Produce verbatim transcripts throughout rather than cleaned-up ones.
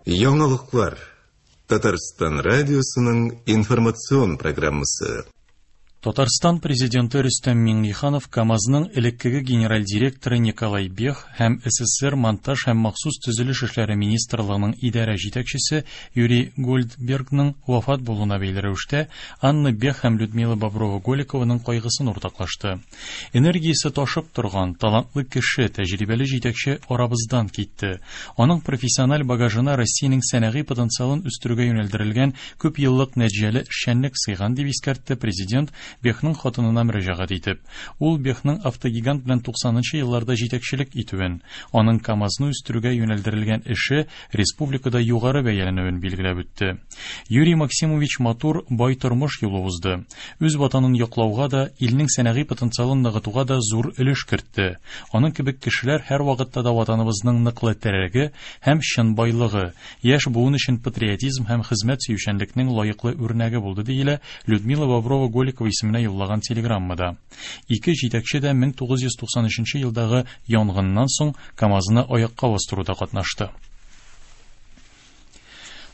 Яңалыклар. Татарстан радиосының информацион программасы. Татарстан президенты Рөстәм Миңнеханов КАМАЗның элеккеге генераль директоры Николай Бех һәм С С С Р монтаж һәм махсус төзелеш эшләре министрлыгының идарә җитәкчесе Юрий Гольдбергның вафат булуына бәйле рәвештә Анна Бех һәм Людмила Боброва-Голикованың кайгысын уртаклашты. Энергиясе ташып торган, талантлы кеше, тәҗрибәле җитәкче арабыздан китте. Аның профессиональ багажына Россиянең сәнәгый потенциалын үстерүгә юнәлдерелгән күп еллык нәтиҗәле эшчәнлек сыйган, дип искәртте президент Бехның хатынына мөрәҗәгать итеп. Ул Бехның автогигант белән туксанынчы елларда җитәкчелек итүен, аның КАМАЗны үстерүгә юнәлдерелгән эше республикада югары бәяләнүен билгеләп үтте. Юрий Максимович матур, бай тормыш юлы узды. Үз ватанын яклауга да, илнең сәнәгый потенциалын ныгытуга да зур өлеш кертте. Аның кебек кешеләр һәрвакытта да ватаныбызның ныклы терәге һәм чын байлыгы, яшь буын өчен патриотизм һәм хезмәт сөючәнлекнең лаеклы үрнәге булды, диелә Людмила Боброва-Голикова исеменә юллаган телеграммада. Ике җитәкче дә мең тугыз йөз туксан өченче елдагы янгыннан соң КАМАЗны аякка бастыруда катнашты.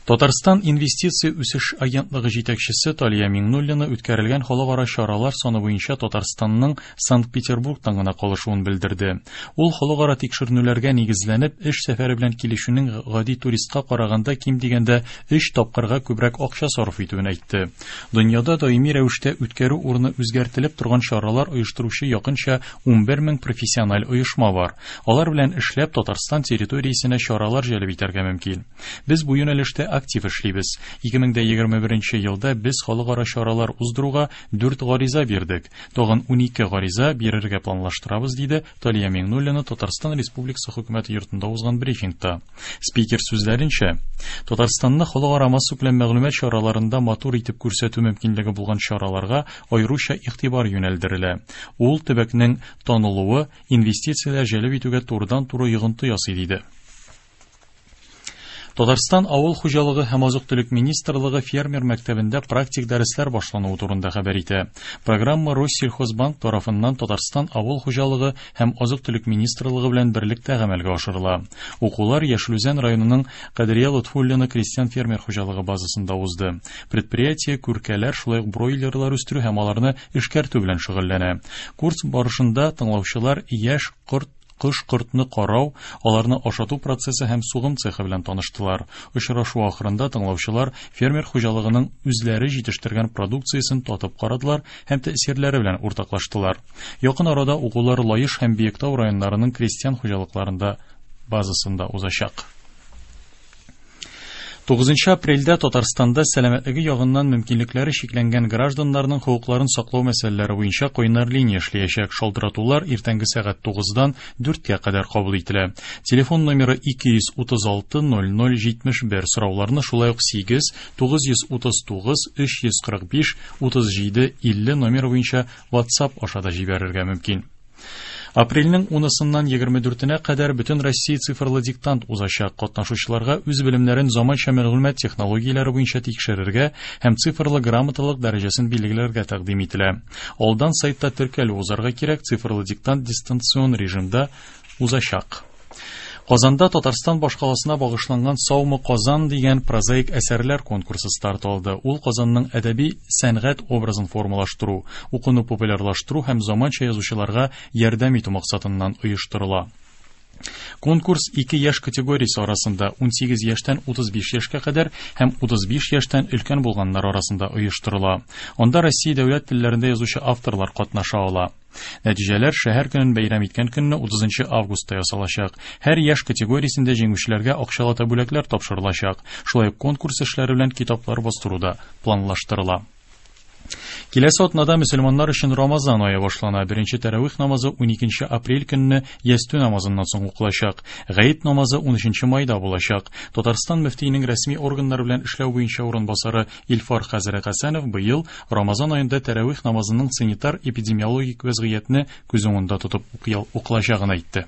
Татарстан инвестиция үсеш агентлыгы җитәкчесе Талия Миңнуллина үткәрелгән халыкара чаралар саны буенча Татарстанның Санкт-Петербургтан гына калышуын белдерде. Ул халыкара тикшеренүләргә нигезләнеп, эш сәфәре белән килүченең гади туристка караганда ким дигәндә өч тапкырга күбрәк акча сарыф итүен әйтте. Дөньяда даими рәвештә үткәрү урыны үзгәртелеп торган чаралар оештыручы якынча унбер мең профессиональ оешма бар. Алар белән эшләп Татарстан территориясенә чаралар җәлеп итәргә мөмкин. Без бу юнәлештә актив эшлибез. ике мең егерме беренче елда без халыкара чаралар уздыруга дүрт гариза бирдек. Тагын унике гариза бирергә планлаштырабыз, диде Талия Миңнуллина Татарстан Республикасы хөкүмәте йортында узган брифингта. Спикер сүзләренчә, Татарстанны халыкара массакүләм мәгълүмат чараларында матур итеп күрсәтү мөмкинлеге булган чараларга аеруча игътибар юнәлдерелә. Ул төбәкнең танылуы инвестицияләр җәлеп итүгә турыдан-туры йогынты ясый, диде. Татарстан Авыл хуҗалыгы һәм азык-төлек министрлыгы фермер мәктәбендә практик дәресләр башлануы турында хәбәр итә. Программа Россельхозбанк тарафыннан Татарстан Авыл хуҗалыгы һәм азык-төлек министрлыгы белән берлектә гамәлгә ашырыла. Укулар Яшел Үзән районының Кадрия Лотфуллина крестьян фермер хуҗалыгы базасында узды. Предприятие күркәләр, шулай ук бройлерлар үстерү һәм аларны эшкәртү белән шөгыльләнә. Курс барышында тыңлаучылар яшь корт кош-кортны карау, аларны ашату процессы һәм сугым цехы белән таныштылар. Очрашу ахырында тыңлаучылар фермер хуҗалыгының үзләре җитештергән продукциясен татып карадылар һәм тәэсирләре белән уртаклаштылар. Якын арада укулар Лаеш һәм Биектау районнарының крестьян хуҗалыкларында базасында узачак. тугызынчы апрельдә Татарстанда сәламәтлеге ягыннан мөмкинлекләре чикләнгән гражданнарның хокукларын саклау мәсьәләләре буенча кайнар линия эшләячәк. Шалтыратулар иртәнге сәгать тугыздан дүрткә кадәр кабул ителә. Телефон номеры ике йөз утыз алты ноль ноль җитмеш бер. Сорауларны шулай ук сигез тугыз йөз утыз тугыз өч йөз кырык биш утыз җиде илле номеры буенча WhatsApp аша да җибәрергә мөмкин. Апрельнең унысыннан егерме дүртенә кадәр бөтен Россия цифрлы диктант узачак. Катнашучыларга үз белемнәрен заманча мәгълүмат технологияләре буенча тикшерергә һәм цифрлы грамоталык дәрәҗәсен билгеләргә тәкъдим ителә. Алдан сайтта теркәлү узарга кирәк, цифрлы диктант дистанцион режимда узачак. Казанда Татарстан башкаласына багышланган «Саумы, Казан» дигән прозаик әсәрләр конкурсы старт алды. Ул Казанның әдәби сәнгать образын формалаштыру, укуны популярлаштыру һәм заманча язучыларга ярдәм итү максатыннан оештырыла. Конкурс ике яшь категориясе арасында: унсигез яшьтән утыз биш яшькә кадәр һәм утыз биш яшьтән өлкән булганнар арасында оештырыла. Анда Россия дәүләт телләрендә язучы авторлар катнаша ала. Нәтиҗәләр шәһәр көнен бәйрәм иткән көнне, утызынчы августта ясалачак. Һәр яшь категориясендә җиңүчеләргә акчалата бүләкләр тапшырылачак. Шулай ук конкурс эшләре белән китаплар бастыру да планлаштырыла. Киләсе атнада мөселманнар өчен Рамазан ае башлана. Беренче тәравих намазы уникенче апрель көнне ястү намазыннан соң укылачак. Гает намазы унөченче майда булачак. Татарстан мөфтиенең рәсми органнар белән эшләү буенча урынбасары Илфар хәзрәт Хәсәнов быел Рамазан аенда тәравих намазының санитар эпидемиологик вәзгыятьне күз уңында тотып укылачагын әйтте.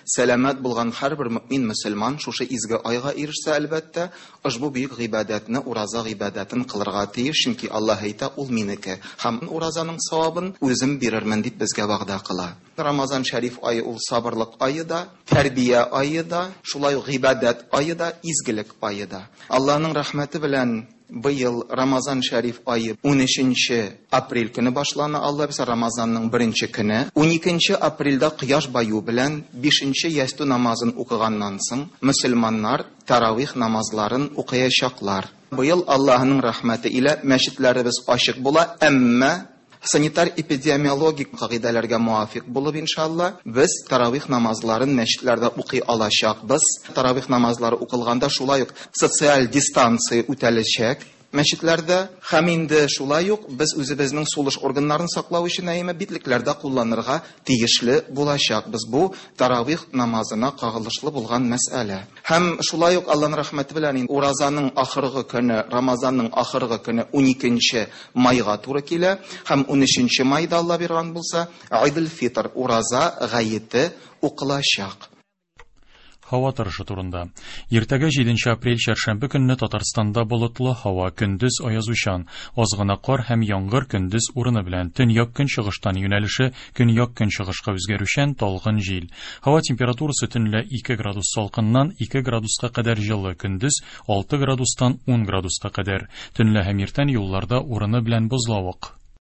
Сәламәт булган һәрбер мөмин мөселман шушы изге айга ирешсә, әлбәттә, ошбу бөек гыйбадәтне, ураза гыйбадәтен кылырга тиеш, чөнки Аллаһ әйтә, ул минеке һәм уразаның савабын үзем бирермен дип безгә вәгъдә кыла. Рамазан шәриф ае ул сабырлык ае да, тәрбия ае да, шулай ук гыйбадәт ае да, изгелек ае да. Аллаһның рәхмәте белән быел Рамазан шәриф ае унөченче апрель көне башлана, Алла бирсә, Рамазанның беренче көне. Уникенче апрельдә кояш баю белән бишенче ястү намазын укыганнан соң мөселманнар таравих намазларын укыячаклар. Быел Аллаһның рәхмәте илә мәчетләребез ачык була, әмма санитар-эпидемиологик кагыйдәләргә муафик булып, иншалла, без таравих намазларын мәчетләрдә укый алачакбыз. Таравих намазлары укылганда шулай ук социаль дистанция үтәләчәк мәчетләрдә, һәм инде шулай ук без үзебезнең сулыш органнарын саклау өчен әйме битлекләрдә кулланырга тиешле булачакбыз. Бу таравих намазына кагылышлы булган мәсьәлә. Һәм шулай ук Аллаһның рәхмәте белән инде уразаның ахыргы көне, Рамазанның ахыргы көне уникенче майга туры килә, һәм унөченче майда Алла биргән булса, Айдул-Фитр ураза гаете укылачак. Һава торышы турында. Иртәгә җиденче апрель чәршәмбе көнне Татарстанда болытлы һава, көндез аязучан, аз гына кар һәм яңгыр көндез урыны белән, төньяк көнчыгыштан юнәлеше көньяк көнчыгышка үзгәрүчән талгын җил. Һава температурасы төнлә ике градус салкыннан ике градуска кадәр җылы, көндез алты градустан ун градуска кадәр. Төнлә һәм иртән юлларда урыны белән бозлавык.